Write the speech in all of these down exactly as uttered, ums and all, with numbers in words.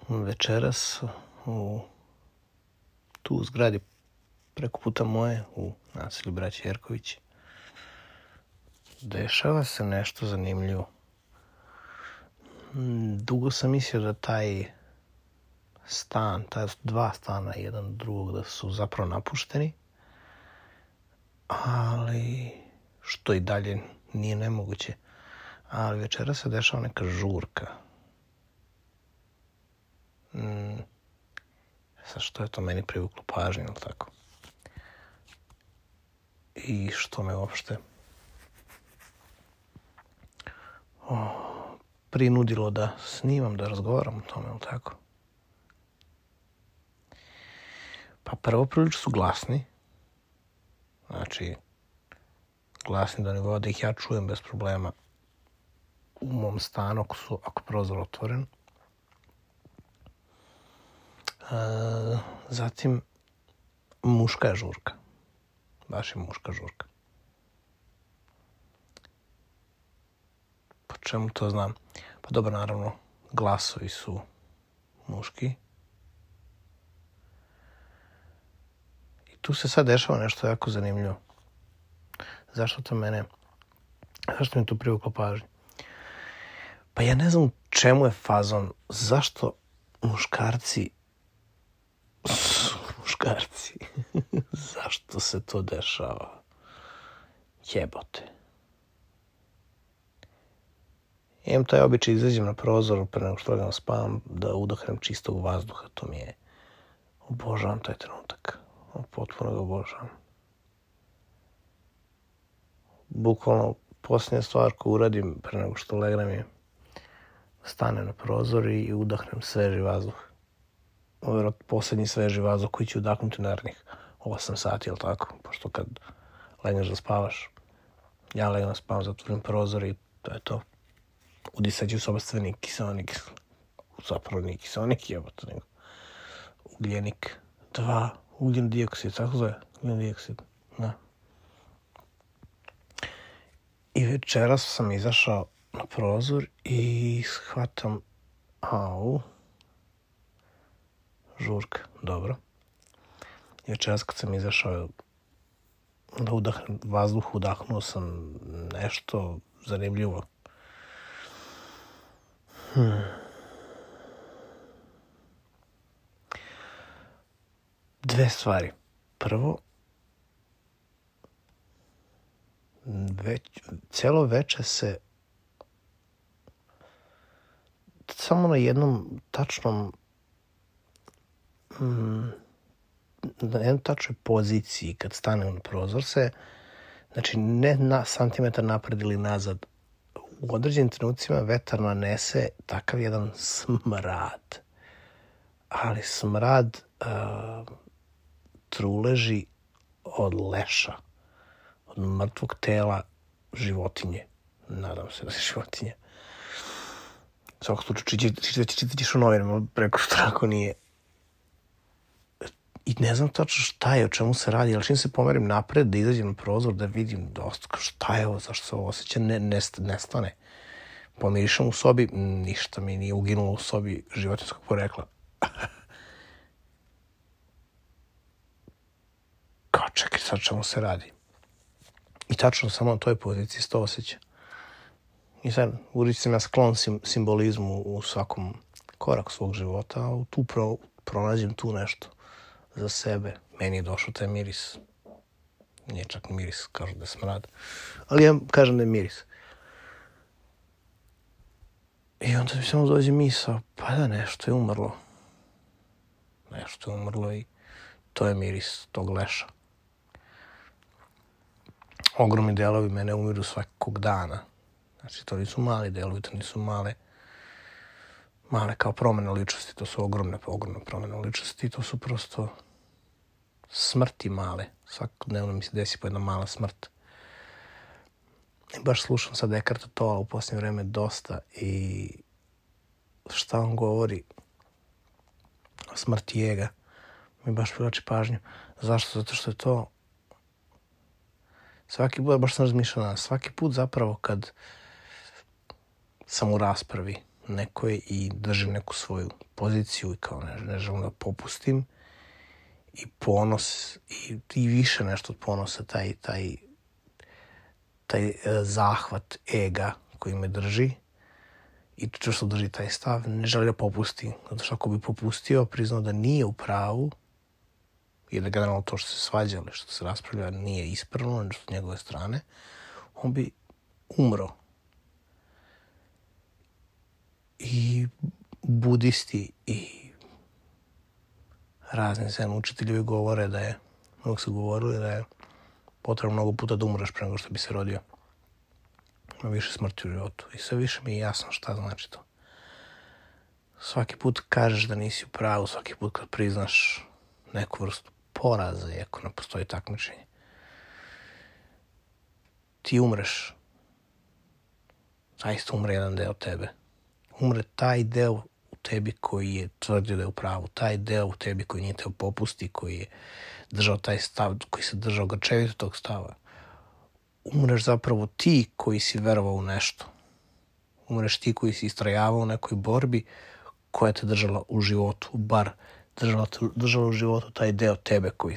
večeras u tu u zgradi preko puta moje u naselju Braće Jerković dešava se nešto zanimljivo. Dugo sam mislio da taj stan, ta dva stana jedan drugog da su zapravo napušteni, ali što i dalje nije nemoguće. Ali večera se dešava neka žurka. Mm. Sad što je to meni privuklo pažnju, ili tako? I što me uopšte o, prinudilo da snimam, da razgovaram o tome, ili tako? Pa prvo prilično su glasni. Znači, glasni do nivoa da ih ja čujem bez problema u mom stanu ako su, ako prozor otvoren. Uh, zatim, muška je žurka. Baš je muška žurka. Po čemu to znam? Pa dobro, naravno, glasovi su muški. I tu se sad dešava nešto jako zanimljivo. Zašto to mene, zašto mi tu privuklo pažnju? Pa ja ne znam u čemu je fazon. Zašto muškarci su muškarci? Zašto se to dešava? Jebote. Imam taj običaj, izađem na prozor pre nego što legam spavam, da udahnem čistog vazduha. To mi je, obožavam taj trenutak. Potpuno ga obožavam. Bukvalno, posljednja stvar koju uradim pre nego što legnem je stanem na prozor i udahnem sveži vazduh. Ovo je posljednji sveži vazduh koji će udahnuti narednih osam sati, ili tako? Pošto kad legneš da spavaš, ja legnem da spavam, zatvorim prozor i to je to. Udisat ću sobstveni kiseonik, zapravo nije kiseonik, jebote, nego ugljenik dva, ugljen dioksid, tako zove, ugljen dioksid, da. I večeras sam izašao na prozor i shvatam, au, žurka, dobro. I večeras kad sam izašao da udahnem vazduh, udahnuo sam nešto zanimljivo. Hmm. Dve stvari. Prvo, već, celo veče se samo na jednom tačnom mm, na jednoj tačnoj poziciji kad stane na prozor se, znači ne na santimetar napred ili nazad, u određenim trenucima vetar nanese takav jedan smrad. Ali smrad uh, truleži od leša, od mrtvog tela životinje. Nadam se da se životinje. U svakom slučaju čitat ćeš u novinama, preko što tako nije. I ne znam tačno šta je, o čemu se radi, ali čim se pomerim napred, da izađem na prozor, da vidim dosta, šta je ovo, zašto se ovo osjeća, ne, ne, nestane. Pomirišam u sobi, ništa mi nije uginulo u sobi životinjskog porekla. Kao čekaj, sad čemu se radi. I tačno samo na toj poziciji se to osjeća. I sad, uvijek sam ja sklon sim, simbolizmu u svakom koraku svog života, a tu pro, pronađem tu nešto za sebe. Meni je došao taj miris. Nije čak miris, kažu da je smrad. Ali ja kažem da je miris. I onda mi samo dođe misao, pa da nešto je umrlo. Nešto je umrlo i to je miris tog leša. Ogromni delovi mene umiru svakog dana. Znači, to nisu mali delovi, to nisu male, male kao promjene ličnosti, to su ogromne, ogromne promjene ličnosti, to su prosto smrti male. Svakodnevno mi se desi po jedna mala smrt. I baš slušam sad Ekarta Tola u posljednje vreme dosta i šta on govori o smrti ega mi baš privlači pažnju. Zašto? Zato što je to svaki put, baš sam razmišljala, svaki put zapravo kad sam u raspravi nekoj i držim neku svoju poziciju i kao ne, ne želim da popustim. I ponos, i, i više nešto od ponosa, taj, taj, taj zahvat ega koji me drži i često drži taj stav, ne želi da popusti. Zato što ako bi popustio, priznao da nije u pravu i da generalno to što se svađa ili što se raspravlja nije ispravno s njegove strane, on bi umro. I budisti i razni zen učitelji govore da je, mnogo su govorili da je potrebno mnogo puta da umreš pre nego što bi se rodio. Ima više smrti u životu. I sve više mi je jasno šta znači to. Svaki put kažeš da nisi u pravu, svaki put kad priznaš neku vrstu poraza, iako ne postoji takmičenje, ti umreš. Zaista umre jedan deo tebe. Umre taj deo u tebi koji je tvrdio da je u pravu, taj deo u tebi koji nije teo popusti, koji je držao taj stav, koji se držao grčevito tog stava. Umreš zapravo ti koji si verovao u nešto. Umreš ti koji si istrajavao u nekoj borbi koja te držala u životu, bar držala, držala u životu taj deo tebe koji,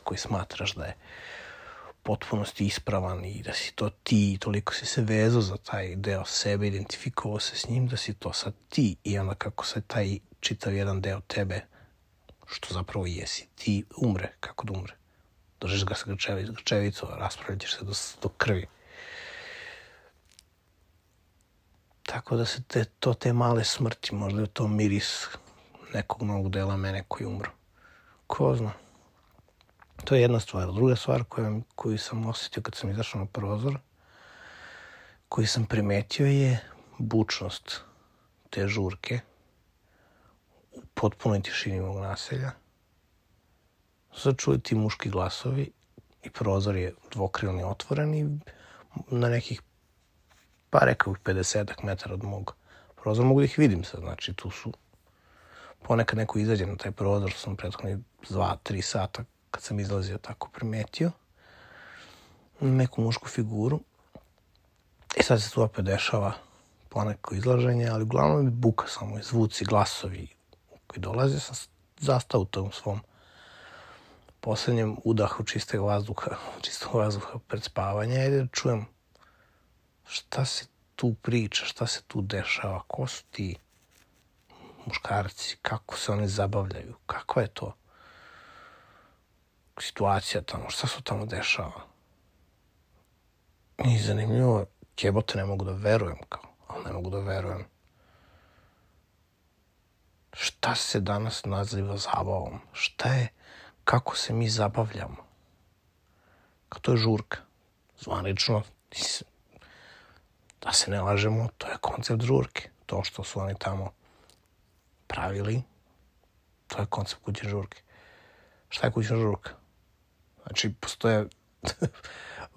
koji smatraš da je potpunosti ispravan i da si to ti i toliko si se vezao za taj deo sebe, identifikovao se s njim, da si to sad ti i onda kako se taj čitav jedan deo tebe, što zapravo jesi, ti umre, kako da umre. Držiš ga sa grčevic, grčevicu, raspravljat ćeš se do, do krvi. Tako da se te, to te male smrti, možda je to miris nekog novog dela mene koji umro. Ko zna? To je jedna stvar. Druga stvar koju, koju sam osjetio kad sam izašao na prozor, koju sam primetio je bučnost te žurke u potpunoj tišini mog naselja. Sad čuju ti muški glasovi i prozor je dvokrilni otvoren i na nekih, pa rekao bih, pedesetak metara od mog prozora mogu da ih vidim sad. Znači tu su, ponekad neko izađe na taj prozor, što sam prethodni dva, tri sata kad sam izlazio tako primetio neku mušku figuru. I sad se tu opet dešava poneko izlaženje, ali uglavnom je buka samo, zvuci, glasovi koji dolaze. Sam zastao u tom svom posljednjem udahu čistog vazduha, čistog vazduha pred spavanje i da čujem šta se tu priča, šta se tu dešava, ko su ti muškarci, kako se oni zabavljaju, kakva je to situacija tamo, šta se tamo dešava. I zanimljivo, jebote, ne mogu da verujem, kao, ali ne mogu da verujem. Šta se danas naziva zabavom? Šta je, kako se mi zabavljamo? Kao to je žurka. Zvanično, da se ne lažemo, to je koncept žurke. To što su oni tamo pravili, to je koncept kućne žurke. Šta je kućna žurka? Znači, postoje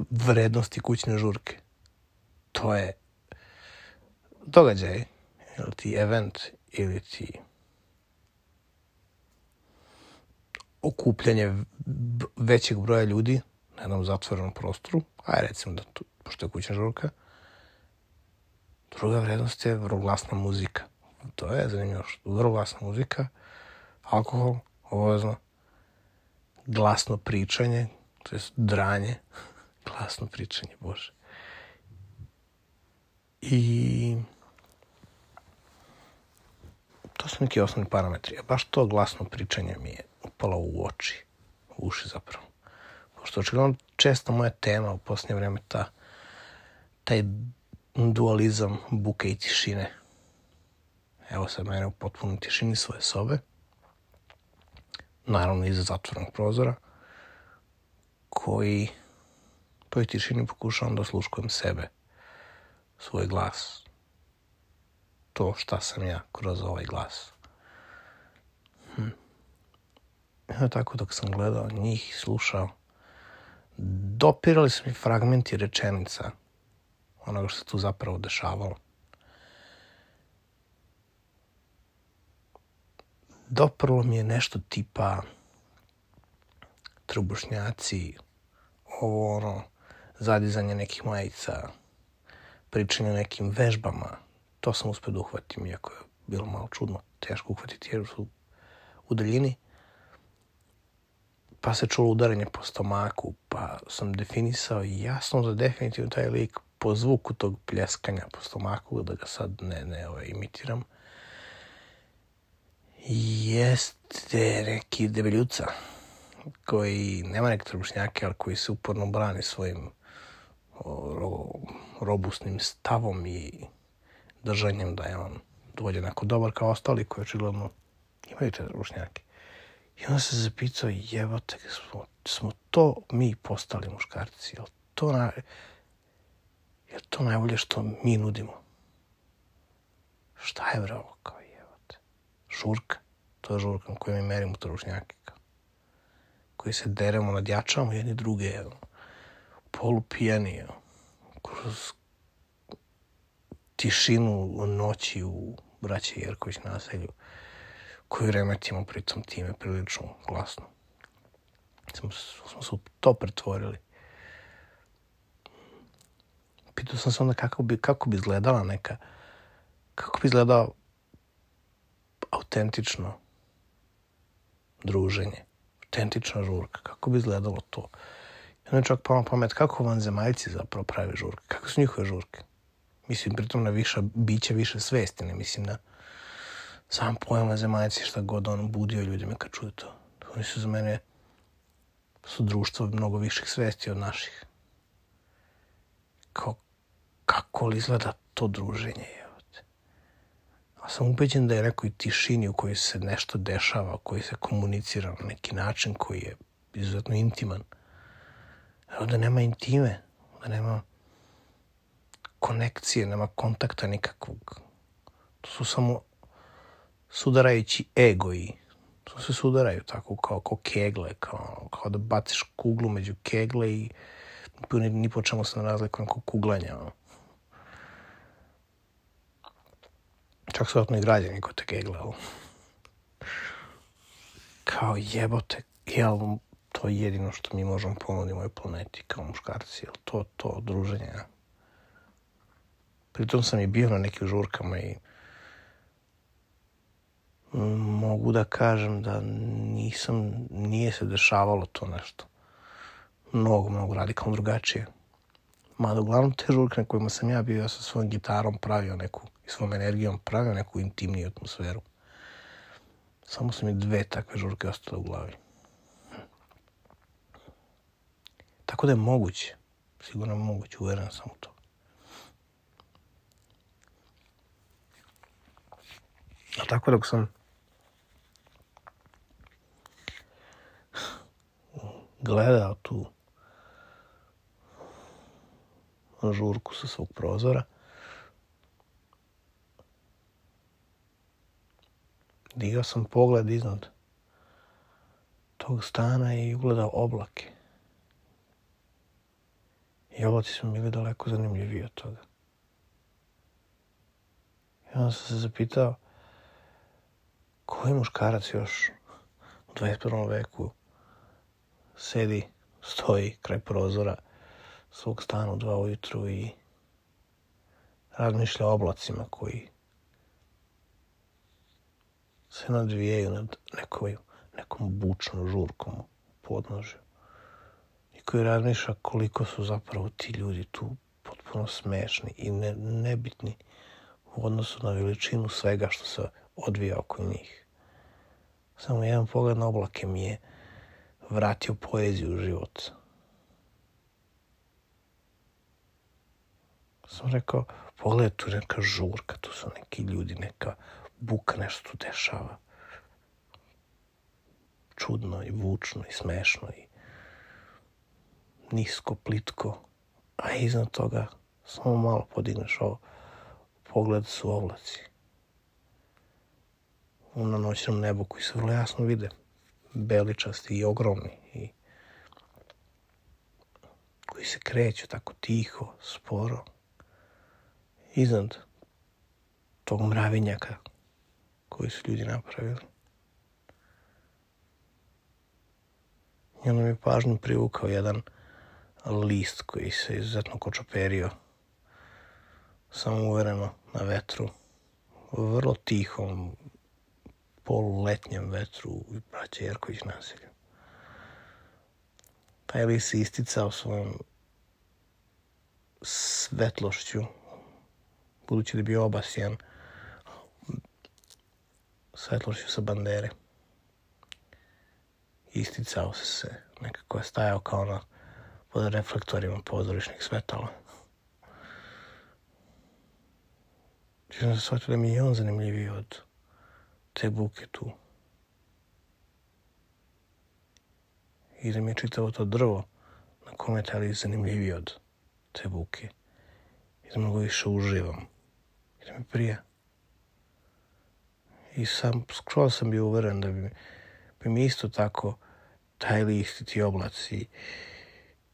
vrednosti kućne žurke. To je događaj, ili ti event, ili ti okupljanje većeg broja ljudi na jednom zatvorenom prostoru, aj recimo da tu, pošto je kućna žurka. Druga vrednost je vrlo glasna muzika. To je zanimljivo, vrlo glasna muzika, alkohol, obavezno, glasno pričanje, to je dranje, glasno pričanje, bože. I to su neki osnovni parametri. A baš to glasno pričanje mi je upalo u oči, u uši zapravo. Pošto očigledno često moja tema u posljednje vreme ta, taj dualizam buke i tišine. Evo sad mene u potpunoj tišini svoje sobe, naravno iza zatvorenog prozora, koji toj tišini pokušavam da osluškujem sebe, svoj glas, to šta sam ja kroz ovaj glas. Hm. Evo tako dok sam gledao njih i slušao, dopirali su mi fragmenti rečenica onoga što se tu zapravo dešavalo. Doprlo mi je nešto tipa trbušnjaci, ovo ono, zadizanje nekih majica, pričanje o nekim vežbama, to sam uspio da uhvatim, iako je bilo malo čudno, teško uhvatiti jer su u daljini. Pa se čulo udaranje po stomaku, pa sam definisao jasno da definitivno taj lik po zvuku tog pljeskanja po stomaku, da ga sad ne, ne ovaj, imitiram, jeste neki debeljuca koji nema neke trbušnjake, ali koji se uporno brani svojim ro, robustnim stavom i držanjem da je on dovoljno onako dobar kao ostali koji očigledno imaju te trbušnjake. I onda se zapitao, jebote, smo, smo to mi postali muškarci, jel to, na, jel to najbolje što mi nudimo? Šta je bre ovo kao jebote? Žurka, to je žurka koju mi merimo trbušnjake, kao. Koji se deremo, nadjačavamo jedni druge, jel, polupijani, jel, kroz tišinu noći u braće Jerković naselju, koju remetimo pritom time prilično glasno. Smo, smo se to pretvorili. Pitao sam se onda kako bi, kako bi izgledala neka, kako bi izgledao autentično druženje, autentična žurka, kako bi izgledalo to. I onda čak palo pamet, kako vanzemaljci zapravo pravi žurke, kako su njihove žurke. Mislim, pritom na viša bića, više svesti, ne mislim na sam pojam zemaljci, šta god on budio ljudima kad čuju to. Oni su za mene, su društvo mnogo viših svesti od naših. Kao, kako li izgleda to druženje, jevate. A sam ubeđen da je nekoj tišini u kojoj se nešto dešava, u kojoj se komunicira na neki način koji je izuzetno intiman. Evo da nema intime, da nema konekcije, nema kontakta nikakvog. To su samo sudarajući ego i to se sudaraju tako kao, kao kegle, kao, kao da baciš kuglu među kegle i ni, ni po čemu se ne razlikuje kao kuglanja. Čak su vratno i građani kod te kegle, ali kao jebote, jel, to je jedino što mi možemo ponuditi ovoj planeti kao muškarci, jel, to, to druženje. Ja. Pritom sam i bio na nekim žurkama i mogu da kažem da nisam, nije se dešavalo to nešto. Mnogo, mnogo radikalno drugačije. Mada uglavnom te žurke na kojima sam ja bio, ja sa svojom gitarom pravio neku, i svojom energijom pravio neku intimniju atmosferu. Samo su mi dve takve žurke ostale u glavi. Tako da je moguće, sigurno je moguće, uveren sam u to. A tako dok sam gledao tu žurku sa svog prozora, digao sam pogled iznad tog stana i ugledao oblake. I oblaci su bili daleko zanimljiviji od toga. I onda sam se zapitao, koji muškarac još u dvadeset prvom veku sedi, stoji kraj prozora svog stana u dva ujutru i razmišlja o oblacima koji se nadvijaju nad nekoj, nekom bučnom žurkom u podnožju i koji razmišlja koliko su zapravo ti ljudi tu potpuno smešni i ne, nebitni u odnosu na veličinu svega što se odvija oko njih. Samo jedan pogled na oblake mi je vratio poeziju u život. Sam rekao, pogledaj, tu neka žurka, tu su neki ljudi, neka buka, nešto tu dešava. Čudno i vučno i smešno i nisko, plitko. A iznad toga samo malo podigneš ovo, pogled su oblaci. Na noćnom nebu koji se vrlo jasno vide, beličasti i ogromni i koji se kreću tako tiho, sporo, iznad tog mravinjaka koji su ljudi napravili. I onda mi je pažnju privukao jedan list koji se izuzetno kočoperio samouvereno na vetru, vrlo tihom, poluletnjem vetru u braće Jerković naselju. Taj list se isticao svojom svetlošću, budući da je bio obasjan svetlošću sa bandere. Isticao se se, nekako je stajao kao na pod reflektorima pozorišnih svetala. Čim sam se shvatio da mi je on zanimljiviji od te buke tu. I da mi je čitavo to drvo na kome je taj list zanimljiviji od te buke. I da mnogo više uživam. I da mi prija. I sam, skoro sam bio uveren da bi, bi mi isto tako taj list i ti oblaci,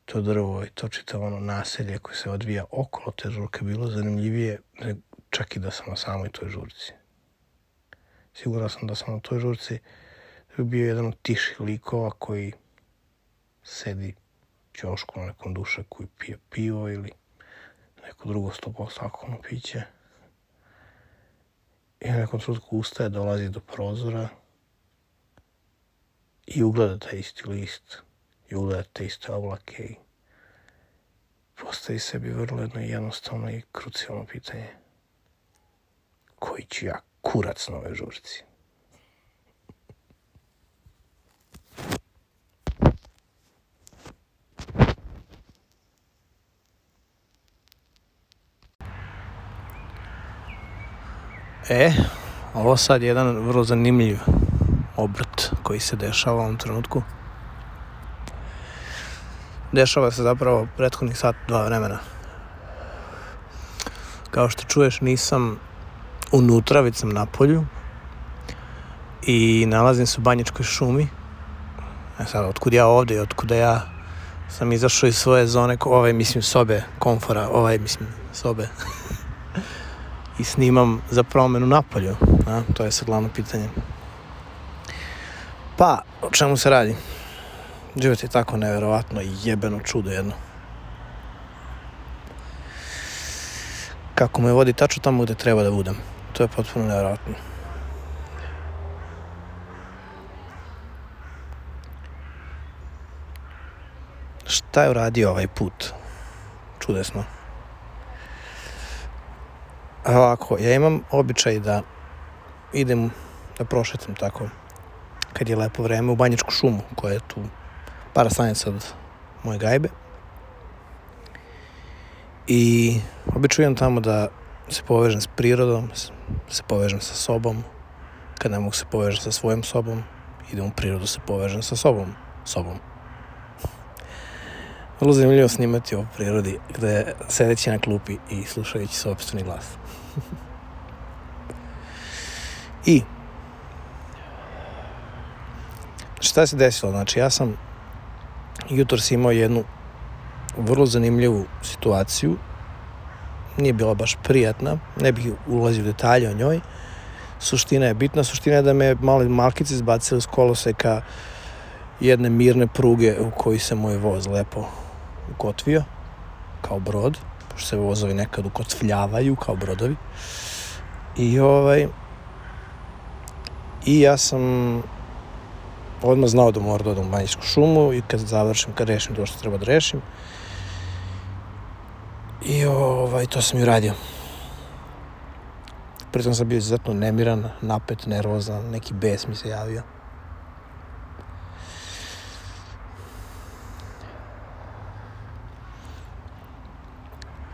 to drvo i to čitavo ono naselje koje se odvija okolo te žurke bilo zanimljivije čak i da sam na samoj toj žurci. Siguran sam da sam na toj žurci da bi bio jedan od tiših likova koji sedi u ćošku na nekom dušaku i pije pivo ili neko drugo sto posto alkoholno piće. I na nekom trenutku ustaje, dolazi do prozora i ugleda taj isti list i ugleda te iste oblake i postavi sebi vrlo jedno jednostavno i krucijalno pitanje. Koji ću ja kurac na ovoj žurci? E, ovo sad je jedan vrlo zanimljiv obrt koji se dešava u ovom trenutku. Dešava se zapravo prethodnih sat, dva vremena. Kao što čuješ, nisam unutra, već sam na polju i nalazim se u Banjičkoj šumi. E sad, otkud ja ovdje i otkud ja sam izašao iz svoje zone, ovaj, mislim, sobe, komfora, ovaj, mislim, sobe. I snimam za promenu napolju, a? To je sad glavno pitanje. Pa, o čemu se radi? Život je tako neverovatno i jebeno čudo jedno. Kako me vodi tačno tamo gdje treba da budem. To je potpuno neverovatno. Šta je uradio ovaj put? Čudesno. Ovako, ja imam običaj da idem, da prošetam tako, kad je lepo vreme, u Banjičku šumu, koja je tu par stanica od moje gajbe. I običujem tamo da se povežem s prirodom, se povežem sa sobom. Kad ne mogu se povežem sa svojom sobom, idem u prirodu se povežem sa sobom. sobom. Vrlo zanimljivo snimati o prirodi, gde sedeći na klupi i slušajući sopstveni glas. I šta se desilo? Znači, ja sam jutros imao jednu vrlo zanimljivu situaciju. Nije bila baš prijatna, ne bih ulazio u detalje o njoj. Suština je bitna, suština je da me mali malkice izbacili s koloseka jedne mirne pruge u kojoj se moj voz lepo ukotvio, kao brod, pošto se vozovi nekad ukotvljavaju kao brodovi. I ovaj... I ja sam odmah znao da moram da odem u Banjičku šumu i kad završim, kad rešim to što treba da rešim. I ovaj, to sam i uradio. Pritom sam bio izuzetno nemiran, napet, nervozan, neki bes mi se javio.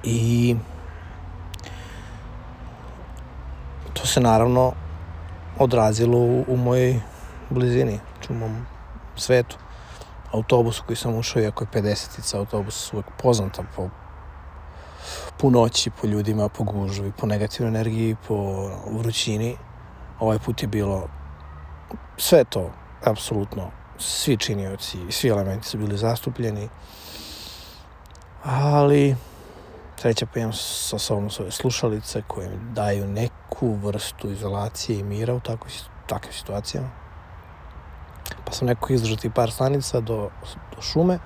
I to se naravno odrazilo u, u mojoj blizini, u mom svetu. Autobus koji sam ušao, iako je pedesetica, autobus uvek poznata po punoći, po ljudima, po gužvi, po negativnoj energiji, po vrućini. Ovaj put je bilo sve to, apsolutno, svi činioci, svi elementi su bili zastupljeni, ali sreća pa imam sa sobom svoje slušalice koje mi daju neku vrstu izolacije i mira u takvim takvim situacijama. Pa sam nekako izdržao ti par stanica do, do šume,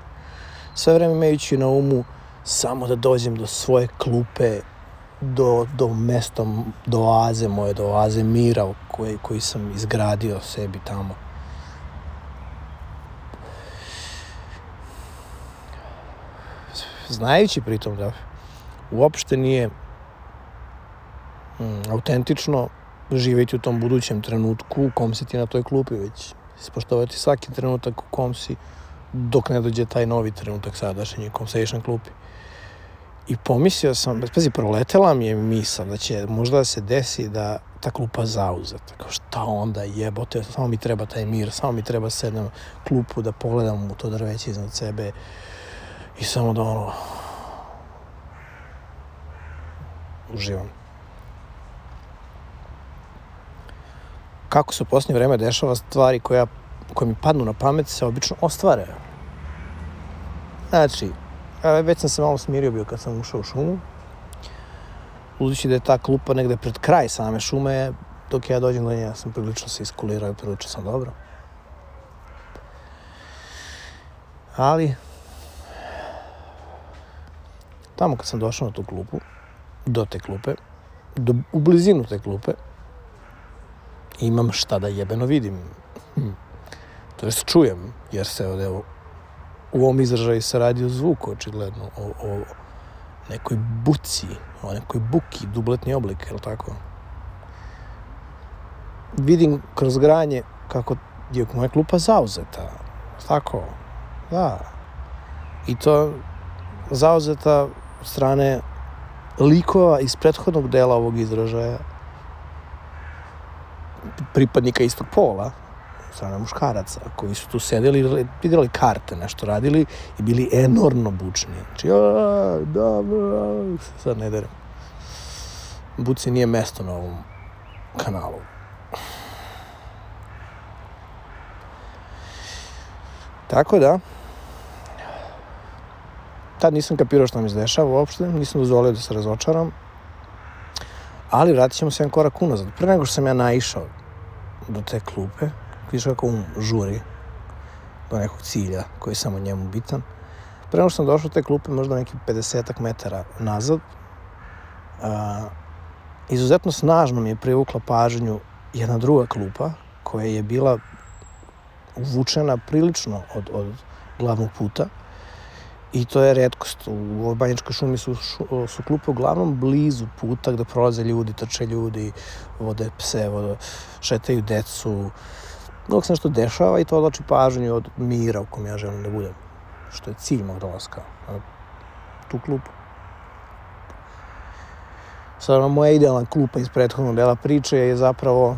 sve vreme imajući na umu samo da dođem do svoje klupe do, do mesta, do oaze moje, do oaze mira koji, koji sam izgradio sebi tamo. Znajući pritom da uopšte nije mm, autentično živjeti u tom budućem trenutku u kom si ti na toj klupi, već ispoštovati svaki trenutak u kom si dok ne dođe taj novi trenutak sadašnji u kom sediš na klupi. I pomislio sam, pazi, proletela mi je misao da će možda da se desi da ta klupa zauzeta. Kao šta onda jebote, samo mi treba taj mir, samo mi treba sednem klupu da pogledam u to drveće iznad sebe i samo da ono uživam. Kako se u posljednje vreme dešava, stvari koja, koje mi padnu na pamet se obično ostvare. Znači, već sam se malo smirio bio kad sam ušao u šumu. Budući da je ta klupa negde pred kraj same šume, dok ja dođem do nje, ja sam prilično se iskulirao i prilično sam dobro. Ali, tamo kad sam došao na tu klupu, do te klupe, do, u blizinu te klupe, imam šta da jebeno vidim. Hm. To jest čujem, jer se ovdje u ovom izražaju se radi o zvuku, očigledno, o, o nekoj buci, o nekoj buki, dubletni oblik, je li tako? Vidim kroz granje kako je moja klupa zauzeta, tako, da. I to zauzeta od strane likova iz prethodnog dela ovog izražaja, pripadnika istog pola, strane muškaraca, koji su tu sedeli, vidjeli karte, nešto radili i bili enormno bučni. Znači, aaa, da, da, sad ne derem. Buci nije mesto na ovom kanalu. Tako da, tad nisam kapirao šta mi se dešava uopšte, nisam dozvolio da se razočaram, ali vratit ćemo se jedan korak unazad. Pre nego što sam ja naišao do te klupe, vidiš kako um žuri do nekog cilja koji je samo njemu bitan. Pre nego što sam došao do te klupe, možda neki pedesetak metara nazad, a, izuzetno snažno mi je privukla pažnju jedna druga klupa koja je bila uvučena prilično od, od glavnog puta. I to je retkost. U Banjačkoj šumi su, šu, su klupe uglavnom blizu puta gde prolaze ljudi, trče ljudi, vode pse, vode, šetaju decu. Dok se nešto dešava i to odlači pažnju od mira u kom ja želim da budem. Što je cilj mog dolaska na tu klupu. Sada moja idealna klupa iz prethodnog dela priče je zapravo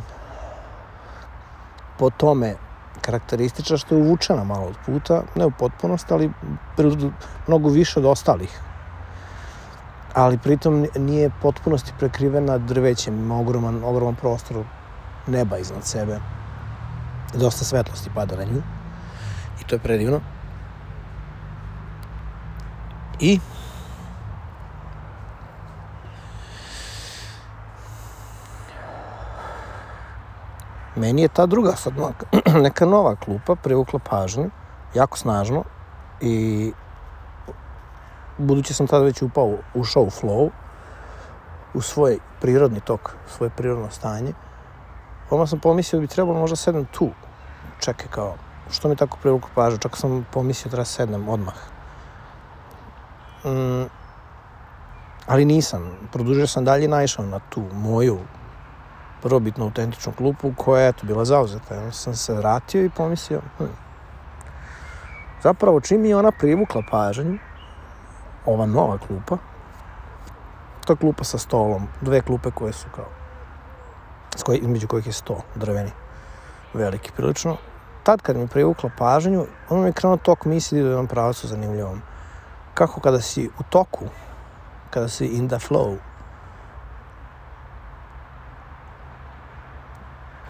po tome karakteristična što je uvučena malo od puta, ne u potpunosti, ali mnogo više od ostalih. Ali pritom nije potpunosti prekrivena drvećem, ima ogroman, ogroman prostor neba iznad sebe. Dosta svetlosti pada na nju i to je predivno. I meni je ta druga sad neka nova klupa privukla pažnju, jako snažno, i budući sam tada već upao, ušao u flow, u svoj prirodni tok, svoje prirodno stanje, odmah sam pomislio da bi trebalo možda sednem tu. Čekaj, kao, što mi tako privukla pažnju? Čak sam pomislio da treba sednem odmah. Mm, ali nisam. Produžio sam dalje i naišao na tu moju prvobitno autentičnu klupu koja je tu bila zauzeta. Ja sam se vratio i pomislio, hm. Zapravo čim je ona privukla pažnju, ova nova klupa, to je klupa sa stolom, dve klupe koje su kao, s koje, između kojih je sto drveni, veliki prilično. Tad kad mi privukla pažnju, ono mi je krenuo tok misli do jednom pravcu zanimljivom. Kako kada si u toku, kada si in the flow,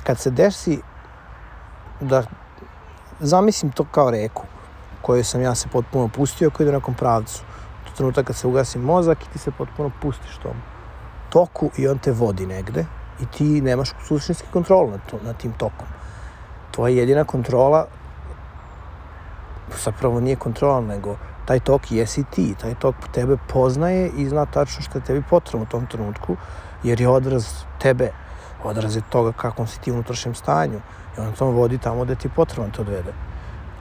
kad se desi da zamislim to kao reku koju sam ja se potpuno pustio, koja ide u nekom pravcu. To trenutak kad se ugasi mozak i ti se potpuno pustiš tom toku i on te vodi negde i ti nemaš suštinski kontrol nad, to, nad tim tokom. Tvoja jedina kontrola zapravo nije kontrola, nego taj tok jesi ti, taj tok tebe poznaje i zna tačno što je tebi potrebno u tom trenutku, jer je odraz tebe, odraz je toga kakvom si ti u unutrašnjem stanju i on to vodi tamo gde ti je potrebno te odvede,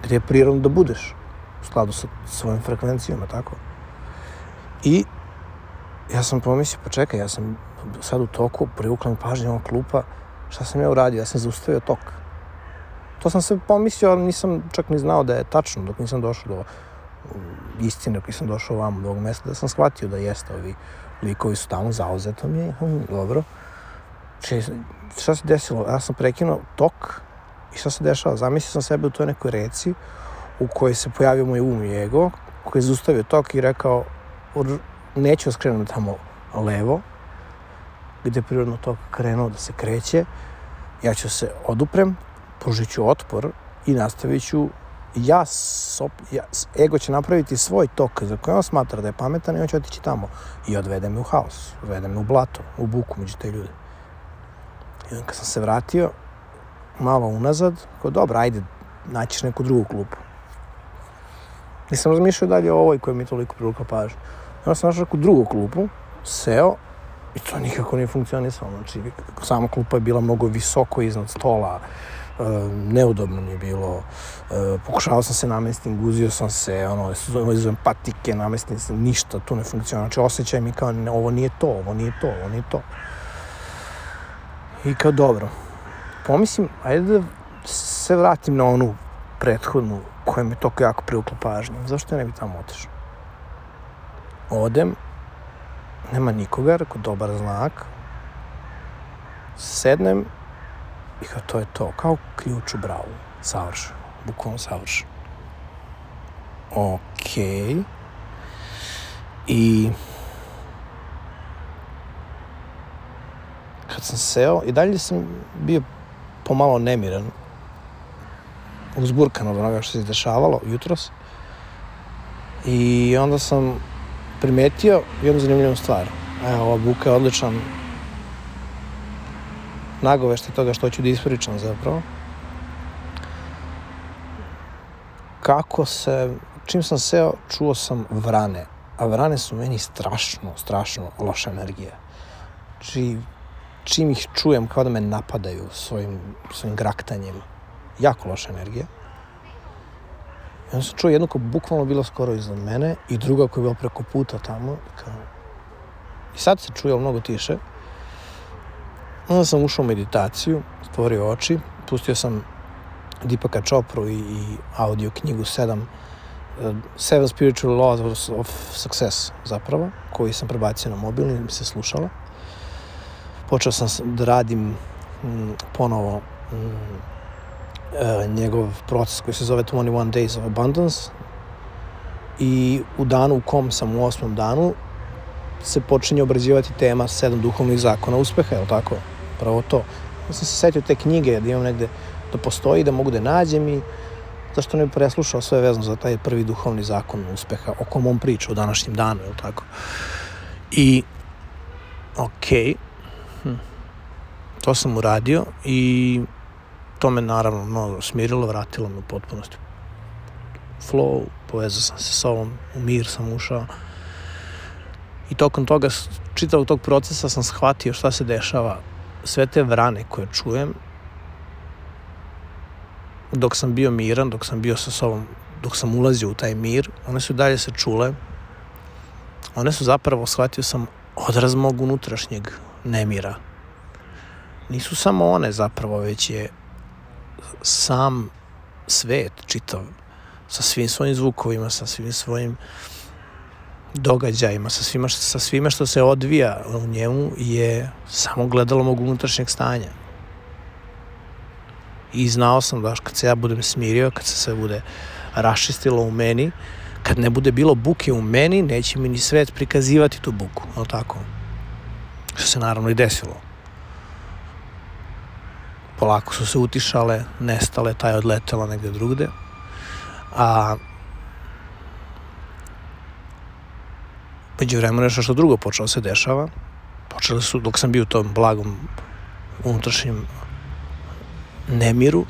gde je prirodno da budeš u skladu sa svojim frekvencijama, tako. I ja sam pomislio, pa čekaj, ja sam sad u toku, privukla mi pažnja ova klupa, šta sam ja uradio, ja sam zaustavio tok. To sam se pomislio, ali nisam čak ni znao da je tačno, dok nisam došao do istine, dok nisam došao ovamo do ovog mesta, da sam shvatio da jeste, ovi likovi su tamo, zauzeto mi je, hm, dobro. Če, šta se desilo? Ja sam prekinuo tok i šta se dešava? Zamislio sam sebe u toj nekoj reci u kojoj se pojavio moj um i ego, koji je zaustavio tok i rekao, neću skrenuti tamo levo, gde je prirodno tok krenuo da se kreće, ja ću se oduprem, pružit ću otpor i nastavit ću, ja, sop, ja, ego će napraviti svoj tok za koji on smatra da je pametan i on će otići tamo i odvede me u haos, odvede me u blato, u buku među te ljude. I onda kad sam se vratio malo unazad, kao dobro, ajde, naćiš neku drugu klupu. Nisam razmišljao dalje o ovoj koja mi je toliko privukla pažnju. Onda sam našao neku drugu klupu, seo i to nikako nije funkcionisalo. Znači, sama klupa je bila mnogo visoko iznad stola, e, neudobno mi je bilo. E, pokušavao sam se namestim, guzio sam se, ono, izuzem patike, namestim se, ništa tu ne funkcionira. Znači, osjećaj mi kao, ne, ovo nije to, ovo nije to, ovo nije to. I kao, dobro, pomislim, ajde da se vratim na onu prethodnu koja mi je toliko jako privukla pažnju. Zašto ja ne bi tamo otišao? Odem, nema nikoga, rekao, dobar znak. Sednem i kao, to je to, kao ključ u bravu. Savršeno, bukvalno savršeno. Okej. I kad sam seo, i dalje sam bio pomalo nemiran, uzburkan od onoga što se dešavalo jutros. I onda sam primetio jednu zanimljivu stvar. Evo, ova buka je odličan nagoveštaj toga što ću da ispričam zapravo. Kako se, čim sam seo, čuo sam vrane. A vrane su meni strašno, strašno loša energija. Či, čim ih čujem kao da me napadaju svojim, svojim graktanjem. Jako loša energija. I onda sam čuo jednu koja bukvalno bila skoro iznad mene i druga koja je bila preko puta tamo. Kao... I sad se čuje mnogo tiše. Onda sam ušao u meditaciju, stvorio oči, pustio sam Deepaka Chopru i, i audio knjigu sedam, uh, Seven Spiritual Laws of Success zapravo, koji sam prebacio na mobilni i mi se slušala. Počeo sam da radim m, ponovo m, Uh, njegov proces koji se zove twenty-one Days of Abundance i u danu u kom sam u osmom danu se počinje obrađivati tema sedam duhovnih zakona uspeha, je li tako? Pravo to. Ja sam se setio te knjige da imam negde da postoji, da mogu da nađem i zašto ne bi preslušao sve vezano za taj prvi duhovni zakon uspeha o kom on priča u današnjem danu, je li tako? I okej, okay. hm. to sam uradio i to me naravno mnogo smirilo, vratilo me u potpunosti flow, povezao sam se s ovom, u mir sam ušao i tokom toga, čitavog tog procesa sam shvatio šta se dešava. Sve te vrane koje čujem dok sam bio miran, dok sam bio sa sobom, dok sam ulazio u taj mir, one su dalje se čule, one su zapravo, shvatio sam, odraz mog unutrašnjeg nemira. Nisu samo one zapravo, već je sam svet čitav, sa svim svojim zvukovima, sa svim svojim događajima, sa svima, sa svime što se odvija u njemu je samo gledalo mog unutrašnjeg stanja. I znao sam da kad se ja budem smirio, kad se sve bude raščistilo u meni, kad ne bude bilo buke u meni, neće mi ni svet prikazivati tu buku, ali tako? Što se naravno i desilo. Polako su se utišale, nestale, ta je odletela negde drugde. A među vremenu nešto što drugo počelo se dešava. Počeli su, dok sam bio u tom blagom unutrašnjem nemiru,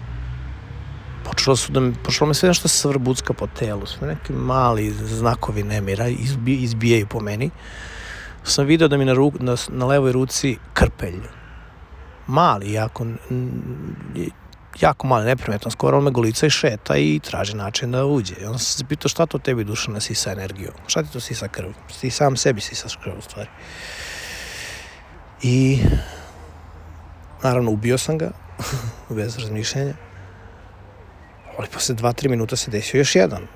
počeli počelo, su da me, počelo me sve nešto se vrbucka po telu, sve neki mali znakovi nemira izbi, izbijaju po meni. Sam video da mi na, ruk, na, na levoj ruci krpelj. Mali, jako, jako mali, neprimetan, skoro on me golica i šeta i traži način da uđe. I onda sam se pitao šta to tebi duša ne sisa energiju? Šta ti to sisa krv? Ti sam sebi sisaš krv u stvari. I naravno ubio sam ga, bez razmišljenja. Ali posle dva, tri minuta se desio još jedan.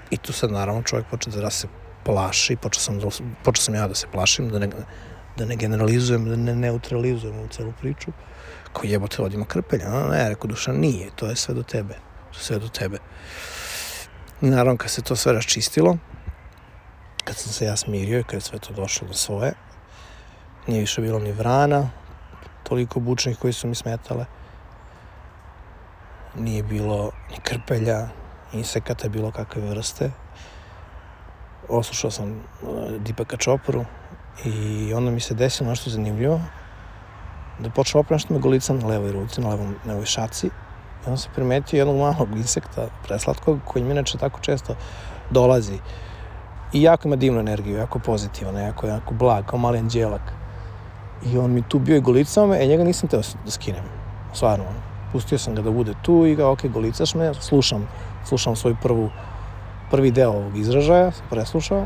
I tu sad naravno čovjek počeo da se plaši, počeo sam, da, počeo sam ja da se plašim, da ne, da ne generalizujem, da ne neutralizujem u celu priču. Kao jebote, odima krpelja. No, ne, rekao duša, nije, to je sve do tebe. To je sve do tebe. I naravno kad se to sve raščistilo, kad sam se ja smirio i kad je sve to došlo do svoje, nije više bilo ni vrana, toliko bučnih koji su mi smetale. Nije bilo ni krpelja, insekata bilo kakve vrste. Oslušao sam Dipaka Čopru i onda mi se desilo nešto zanimljivo. Da počeo opet nešto me golica na levoj ruci, na levom, levoj šaci. I onda sam primetio jednog malog insekta, preslatkog, koji mi inače tako često dolazi. I jako ima divnu energiju, jako pozitivan, jako, jako blag, kao mali anđelak. I on mi tu bio i golicao me, e njega nisam teo da skinem. Stvarno, pustio sam ga da bude tu i ga, ok, golicaš me, slušam, slušam svoj prvu, prvi deo ovog izražaja, sam preslušao.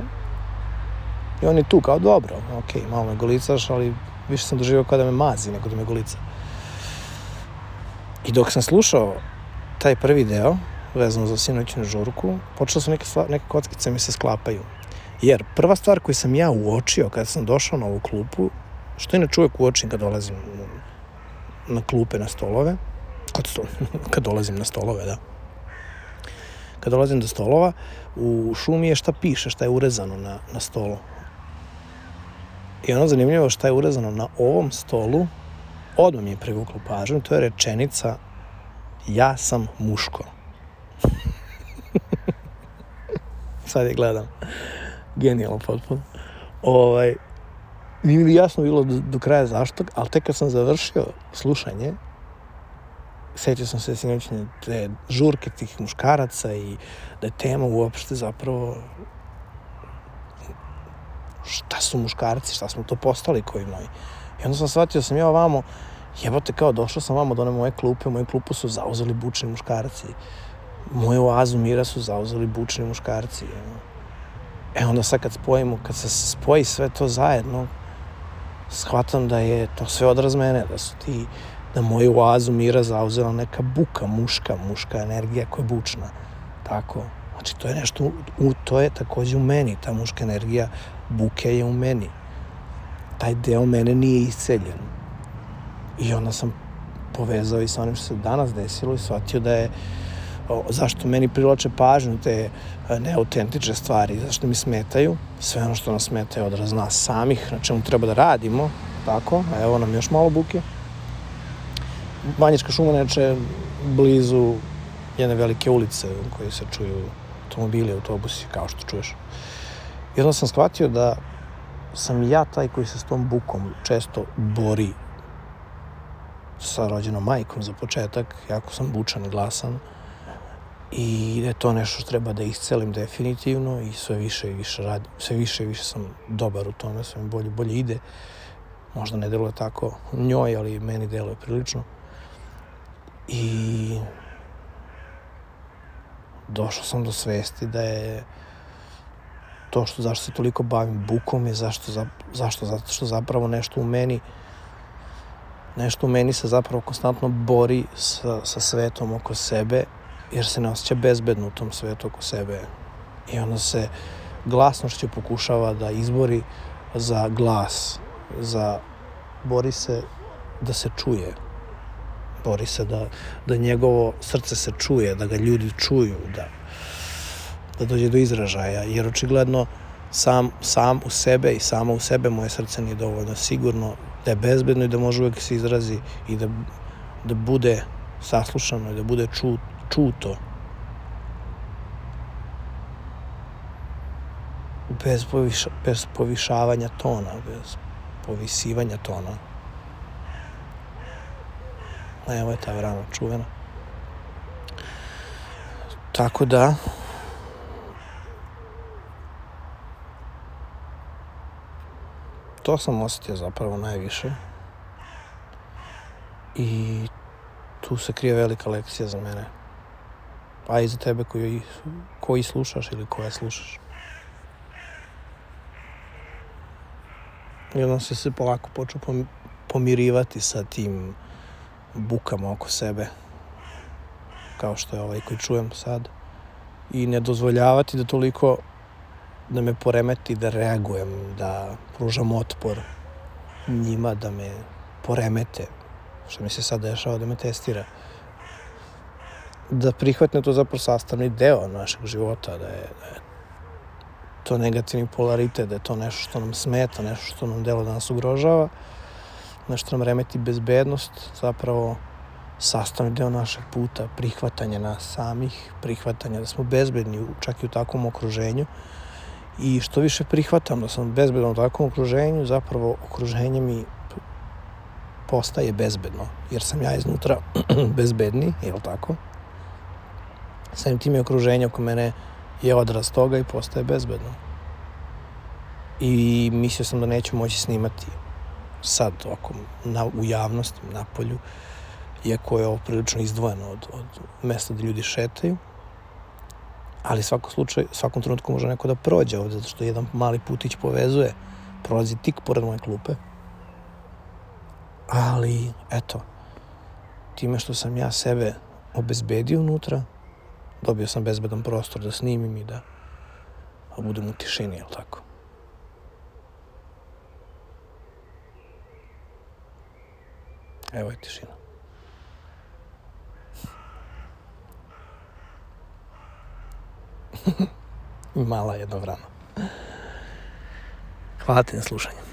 I on je tu kao, dobro, ok, malo me golicaš, ali više sam doživio kao da me mazi nego da me golica. I dok sam slušao taj prvi deo, vezano za sinoćnu žurku, počelo sam neke, stvar, neke kockice mi se sklapaju. Jer prva stvar koju sam ja uočio kada sam došao na ovu klupu, što inače uvek uočim kad dolazim na klupe, na stolove, kad, sto, kad dolazim na stolove, da. Kad dolazim do stolova, u šumi je šta piše, šta je urezano na, na stolu. I ono zanimljivo šta je urezano na ovom stolu, odmah mi je privuklo pažnju, to je rečenica ja sam muško. Sad je gledam. Genijalno potpuno. Ovaj, nije mi jasno bilo do, do kraja zašto, ali tek kad sam završio slušanje, sjećao sam se sinoćnje te žurke tih muškaraca i da je tema uopšte zapravo šta su muškarci, šta smo to postali koji moji. I onda sam shvatio sam ja ovamo, jebote kao došao sam vamo do one moje klupe, moju klupu su zauzeli bučni muškarci. Moju oazu mira su zauzeli bučni muškarci. E onda sad kad spojimo, kad se spoji sve to zajedno, shvatam da je to sve odraz mene, da su ti, da moju oazu mira zauzela neka buka, muška, muška energija koja je bučna. Tako. Znači to je nešto, u, to je također u meni, ta muška energija buke je u meni. Taj deo mene nije isceljen. I onda sam povezao i sa onim što se danas desilo i shvatio da je o, zašto meni privlače pažnju te neautentične stvari, zašto mi smetaju. Sve ono što nas smeta je odraz nas samih, na čemu treba da radimo, tako, a evo nam još malo buke. Banjička šuma neče blizu jedne velike ulice u kojoj se čuju automobili, autobusi, kao što čuješ. I onda sam shvatio da sam ja taj koji se s tom bukom često bori sa rođenom majkom za početak, jako sam bučan i glasan i da je to nešto što treba da iscelim definitivno i sve više i više radim, sve više i više sam dobar u tome, sve mi bolje, bolje ide. Možda ne deluje tako njoj, ali meni deluje prilično. I došao sam do svesti da je to što zašto se toliko bavim bukom je zašto, za, zašto, zato što zapravo nešto u meni nešto u meni se zapravo konstantno bori sa, sa svetom oko sebe, jer se ne osjeća bezbedno u tom svetu oko sebe. I onda se glasnošću pokušava da izbori za glas, za, bori se da se čuje. Bori se da, da njegovo srce se čuje, da ga ljudi čuju, da, da dođe do izražaja, jer očigledno sam, sam u sebe i samo u sebe moje srce nije dovoljno sigurno, da je bezbedno i da može uvijek se izrazi i da, da bude saslušano i da bude ču, čuto. Bez, poviša, bez povišavanja tona, bez povisivanja tona. Evo je ta vrana čuvena. Tako da, to sam osjetio zapravo najviše. I tu se krije velika lekcija za mene. A i za tebe koji, koji slušaš ili koja slušaš. I onda se se polako počeo pomirivati sa tim bukama oko sebe. Kao što je ovaj koji čujem sad. I ne dozvoljavati da toliko da me poremeti, da reagujem, da pružam otpor njima, da me poremete. Što mi se sad dešava, da me testira. Da prihvatim to zapravo sastavni deo našeg života, da je, da je to negativni polaritet, da je to nešto što nam smeta, nešto što nam delo da nas ugrožava, nešto nam remeti bezbednost, zapravo sastavni deo našeg puta, prihvatanje nas samih, prihvatanje da smo bezbedni čak i u takvom okruženju. I što više prihvatam da sam bezbedan u takvom okruženju, zapravo okruženje mi postaje bezbedno, jer sam ja iznutra bezbedni, je li tako? Samim tim je okruženje oko mene je odraz toga i postaje bezbedno. I mislio sam da neću moći snimati sad oko, na, u javnosti, na polju, iako je ovo prilično izdvojeno od, od mesta gdje ljudi šetaju. Ali svako slučaj, svakom trenutku može neko da prođe ovdje, zato što jedan mali putić povezuje, prolazi tik pored moje klupe. Ali, eto, time što sam ja sebe obezbedio unutra, dobio sam bezbedan prostor da snimim i da budem u tišini, jel tako? Evo je tišina. Mala jedna vrana. Hvala ti na slušanju.